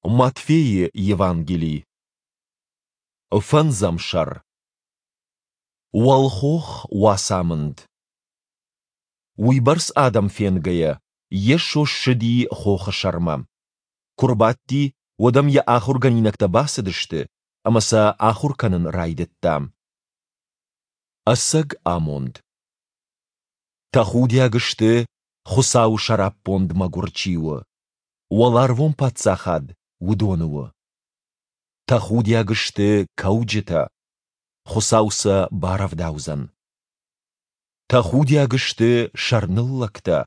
Матфейы Евангели. Фӕндзӕм сӕр. Уӕлхох уацамынд. Уыйбӕрц адӕм фенгӕйӕ, Йесо ссыди хохы сӕрмӕ. Куы рбадти, уӕд ӕм йӕ ахуыргӕнинӕгтӕ бацыдысты, ӕмӕ сӕ ахуыр кӕнын райдыдта. Ӕцӕг амонд. Тӕхудиаг сты, Хуыцауы сӕраппонд мӕгуыр чи у, уӕларвон паддзахад уыдоны у. Тӕхудиаг сты кӕуджытӕ, Хуыцау сӕ барӕвдаудзӕн. Тӕхудиаг сты сӕрныллӕгтӕ,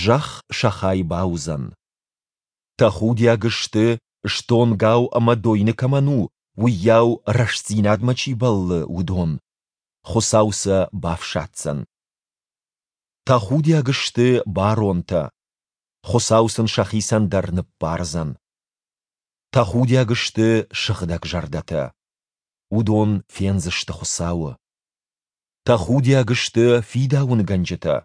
зӕхх сӕ хай бауыдзӕн. Тӕхудиаг сты, стонгау ӕмӕ дойны кӕмӕн у, уыйау рӕстдзинадмӕ чи бӕллы, уыдон, Хуыцау сӕ бафсаддзӕн. Тӕхудиаг сты баронтӕ, Хуыцау сын сӕхицӕн дӕр ныббардзӕн. Тӕхудиаг сты сыгъдӕг зӕрдӕтӕ. Уыдон фендзысты Хуыцауы. Тӕхудиаг сты фидауынгӕнджытӕ.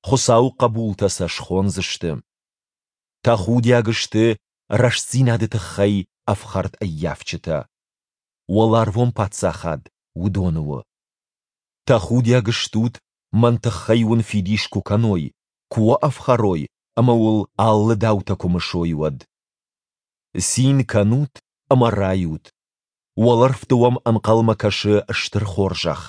Хуыцауы хъӕбултӕ сӕ схондзысты. Тӕхудиаг сты рӕстдзинады тыххӕй ӕфхӕрд ӕййафджытӕ. Уӕларвон паддзахад уыдоны у. Тӕхудиаг стут, мӕн тыххӕй уын фидис куы кӕной, куы уӕ ӕфхӕрой ӕмӕ уыл алы даутӕ куы мысой, уӕд. Цин кӕнут ӕмӕ райут. Уӕлӕрвты уӕм ӕнхъӕлмӕ кӕсы стыр хорзӕх.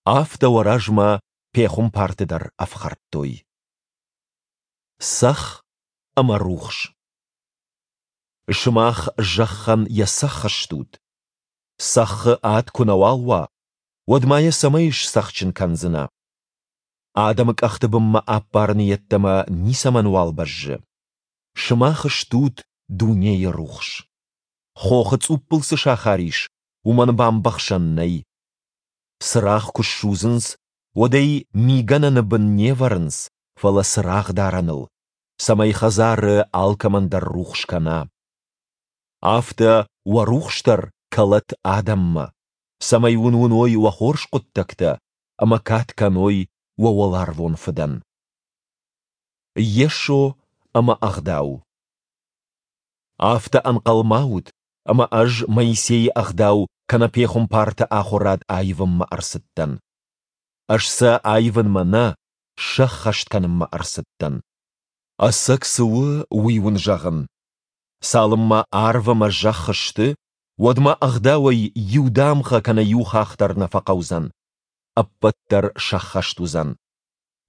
Афтӕ уӕ размӕ пехуымпарты дӕр ӕфхӕрдтой. Цӕхх ӕмӕ рухс. Сымах зӕххӕн йӕ цӕхх стут. Цӕххы ад куы нӕуал уа, уӕд ма йӕ цӕмӕй сцӕхджын кӕндзынӕ? Адӕмы къӕхты бынмӕ ӕппарыны йеддӕмӕ ницӕмӕнуал бӕззы. Сымах стут дунейы рухс. Хохы цъуппыл цы сахар ис, уымӕн бамбӕхсӕн нӕй. Цырагъ куы ссудзынц, уӕд ӕй мигӕнӕны бын не вӕрынц, фӕлӕ цырагъдарӕныл, цӕмӕй хӕдзары алкӕмӕн дӕр рухс кӕна. Афтӕ уӕ рухс дӕр кӕлӕд адӕммӕ, цӕмӕй уын уыной уӕ хорз хъуыддӕгтӕ ӕмӕ кад кӕной уӕ уӕларвон Фыдӕн. Йесо ӕмӕ Ӕгъдау. Афтӕ ӕнхъӕл ма ут, ӕмӕ ӕз Моисейы ӕгъдау кӕнӕ пехуымпарты ахуырад аивынмӕ ӕрцыдтӕн. Ӕз сӕ аивынмӕ нӕ, сӕххӕст кӕнынмӕ ӕрцыдтӕн. Ӕцӕг цы у, уый уын зӕгъын. Цалынмӕ арв ӕмӕ зӕхх сты, уӕдмӕ ӕгъдауӕй иу дамгъӕ кӕнӕ иу хахх дӕр нӕ фӕхъӕудзӕн. Ӕппӕт дӕр сӕххӕст уыдзӕн.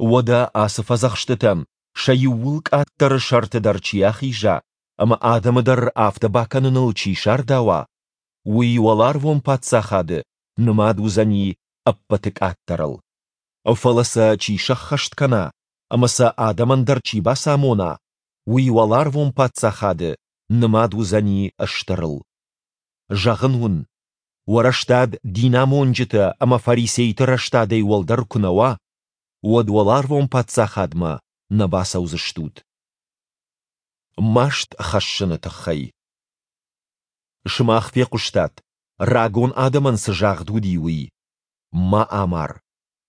Уӕдӕ ацы фӕдзӕхстытӕн сӕ иууыл къаддӕры сӕрты дӕр чи ахиза ӕмӕ адӕмы дӕр афтӕ бакӕныныл чи сардауа, уый уӕларвон паддзахады нымад уыдзӕни ӕппӕты къаддӕрыл. Фӕлӕ сӕ чи сӕххӕст кӕна ӕмӕ сӕ адӕмӕн дӕр чи бацамона, уый уӕларвон паддзахады нымад уыдзӕни стырыл. Зӕгъын уын, уӕ рӕстад динамонджытӕ ӕмӕ фарисейты рӕстадӕй уӕлдӕр куы нӕ уа, уӕд уӕларвон паддзахадмӕ нӕ бацӕудзыстут. Маст хӕссыны тыххӕй. Сымах фехъуыстат, рагон адӕмӕн цы загъд уыди, уый: Ма амар.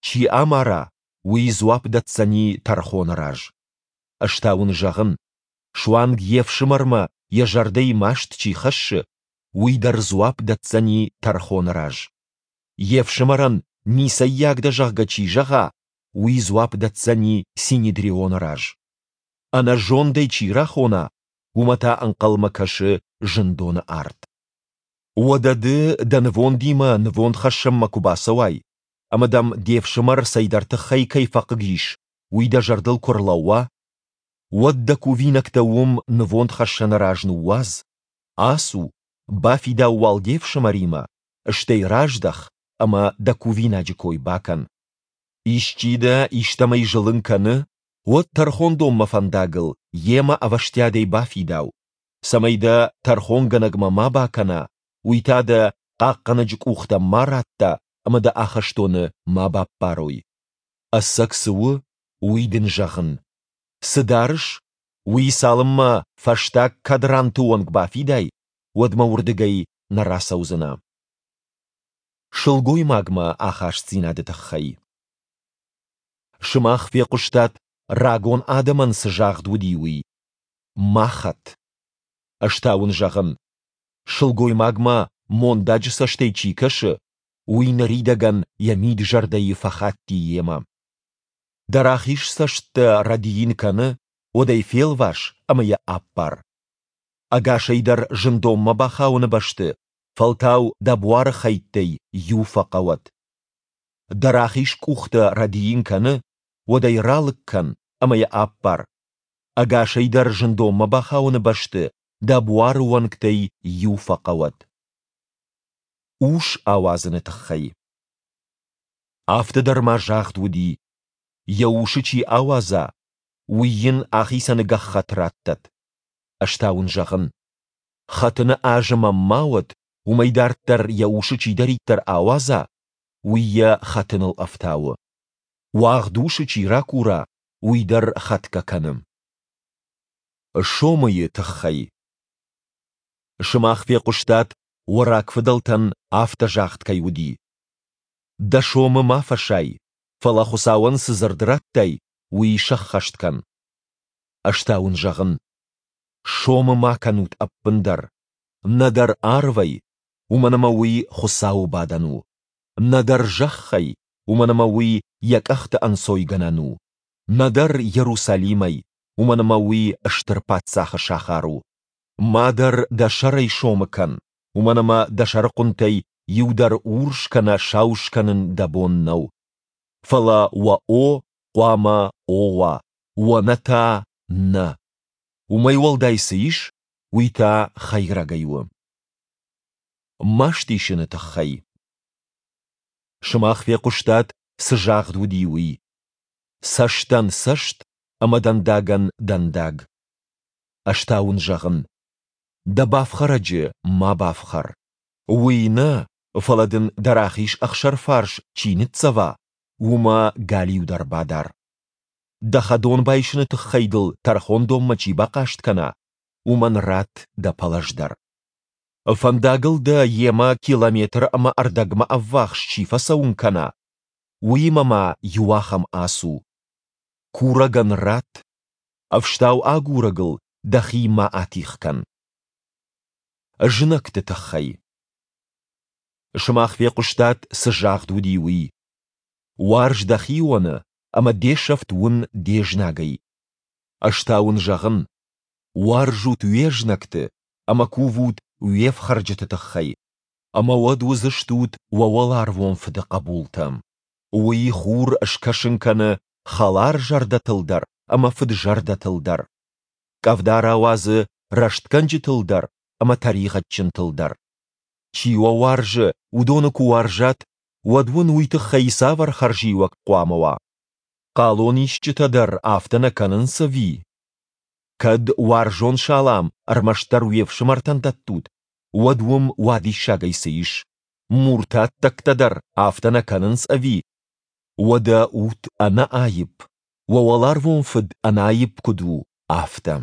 Чи амара, уый дзуапп дӕтдзӕни тӕрхоны раз. Ӕз та уын зӕгъын, суанг йе фсымӕрмӕ йӕ зӕрдӕйы маст чи хӕссы, уый дӕр дзуапп дӕтдзӕни тӕрхоны раз. Йе фсымӕрӕн ницӕййаг дӕ, зӕгъгӕ, чи зӕгъа, уый дзуапп дӕтдзӕни Синедрионы раз. Ӕнӕзондӕй чи рахона, уымӕ та ӕнхъӕлмӕ кӕсы зындоны арт. Уӕдӕ ды дӕ нывондимӕ нывондхӕссӕнмӕ куы бацӕуай, ӕмӕ дӕм де фсымӕр цӕйдӕр тыххӕй кӕй фӕхъыг ис, уый дӕ зӕрдыл куы рлӕууа, уӕд дӕ кувинӕгтӕ уым нывондхӕссӕны раз ныууадз, ацу, бафидау уал де фсымӕримӕ, стӕй раздӕх ӕмӕ дӕ кувинаджы кой бакӕн. Исчи дӕ истӕмӕй зылын кӕны, уӕд тӕрхондонмӕ фӕндагыл йемӕ ӕвӕстиатӕй бафидау, цӕмӕй дӕ тӕрхонгӕнӕгмӕ ма бакӕна, уый та дӕ хъахъхъӕнӕджы къухтӕм ма радта ӕмӕ дӕ ахӕстоны ма баппарой. Ӕцӕг цы у, уый дын зӕгъын. Цы дарыс, уый цалынмӕ фӕстаг кадранты онг бафидай, уӕдмӕ уырдыгӕй нӕ рацӕудзынӕ. Сылгоймагмӕ ахастдзинады тыххӕй. Сымах фехъуыстат, рагон адӕмӕн цы загъд уыди, уый: Ма хӕт. Ӕз та уын зӕгъын, сылгоймагмӕ мондаджы цӕстӕй чи кӕсы, уый ныридӕгӕн йӕ мид-зӕрдӕйы фӕхатти йемӕ. Дӕ рахиз цӕст дӕ рӕдийын кӕны, уӕд ӕй фелвас ӕмӕ йӕ аппар. Ӕгасӕй дӕр зындонмӕ бахауыны бӕсты фӕлтау дӕ буары хӕйттӕй иу фӕхъӕуӕд. Дӕ рахиз къух дӕ рӕдийын кӕны, уӕд ӕй ралыг кӕн ӕмӕ йӕ аппар. Ӕгасӕй дӕр зындонмӕ бахауыны бӕсты дӕ буары уӕнгтӕй иу фӕхъӕуӕд. Ус ауадзыны тыххӕй. Афтӕ дӕр ма загъд уыди, йӕ усы чи ауадза, уый йын ахицӕны гӕххӕтт раттӕд. Ӕз та уын зӕгъын, хӕтыны азым ӕм ма уӕд, уымӕй дарддӕр йӕ усы чидӕриддӕр ауадза, уый йӕ хӕтыныл ӕфтауы. Уагъд усы чи ракура, уый дӕр хӕтгӕ кӕны. Сомыйы тыххӕй. Сымах фехъуыстат, уӕ рагфыдӕлтӕн афтӕ загъд кӕй уыди: Дӕ сомы ма фӕсай, фӕлӕ Хуыцауӕн цы дзырд радтай, уый сӕххӕст кӕн. Ӕз та уын зӕгъын, сомы ма кӕнут ӕппындӕр, нӕдӕр арвӕй, уымӕн ӕмӕ уый Хуыцауы бадӕн у, нӕдӕр зӕххӕй, уымӕн ӕмӕ уый йӕ къӕхты ӕнцойгӕнӕн у, нӕдӕр Иерусалимӕй, уымӕн ӕмӕ уый стыр паддзахы сахар у. Ма дӕр дӕ сӕрӕй сомы кӕн, уымӕн ӕмӕ дӕ сӕрыхъуынтӕй иу дӕр урс кӕнӕ сау скӕнын дӕ бон нӕу. Фӕлӕ уӕ о хъуамӕ о уа, уӕ нӕ та нӕ. Уымӕй уӕлдай цы ис, уый та хӕйрӕгӕй у. Маст исыны тыххӕй. Сымах фехъуыстат, цы загъд уыди, уый. Цӕстӕн цӕст ӕмӕ дӕндагӕн дӕндаг. Ӕз та уын зӕгъын, дӕ бафхӕрӕджы ма бафхӕр. Уый нӕ, фӕлӕ дын дӕ рахиз ӕхсӕрфарс чи ныццӕва, уымӕ галиу дӕр бадар. Дӕ хӕдон байсыны тыххӕй дыл тӕрхондонмӕ чи бахъаст кӕна, уымӕн ратт дӕ пӕлӕз дӕр. Фӕндагыл дӕ йемӕ километр ӕмӕ ӕрдӕгмӕ ӕввахс чи фӕцӕуын кӕна, уыимӕ ма иуахӕм ацу. Курӕгӕн ратт, ӕфстау агурӕгыл дӕхи ма атигъ кӕн. Знӕгты тыххӕй. Сымах фехъуыстат, цы загъд уыди, уый. Уарз дӕ хионы ӕмӕ де сӕфт уын де знагӕй. Ӕз та уын зӕгъын, уарзут уе знӕгты ӕмӕ кувут уе фхӕрджыты тыххӕй, ӕмӕ уӕд уыдзыстут уӕ уӕларвон Фыды хъӕбултӕ. Уый хур скӕсын кӕны хӕлар зӕрдӕтыл дӕр ӕмӕ фыд-зӕрдӕтыл дӕр. Къӕвда рауадзы рӕстгӕнджытыл дӕр ӕмӕ тӕригъӕдджынтыл дӕр. Чи уӕ уарзы, уыдоны куы уарзат, уӕд уын уый тыххӕй цавӕр хӕрзиуӕг хъуамӕ уа? Хъалонисджытӕ дӕр афтӕ нӕ кӕнынц ӕви? Кӕд уарзон салам ӕрмӕстдӕр уе фсымӕртӕн дӕттут, уӕд уым уадиссагӕй цы ис? Муртаттӕгтӕ дӕр афтӕ нӕ кӕнынц ӕви? Уӕдӕ ут ӕнӕаипп, уӕ уӕларвон Фыд ӕнӕаипп куыд у, афтӕ.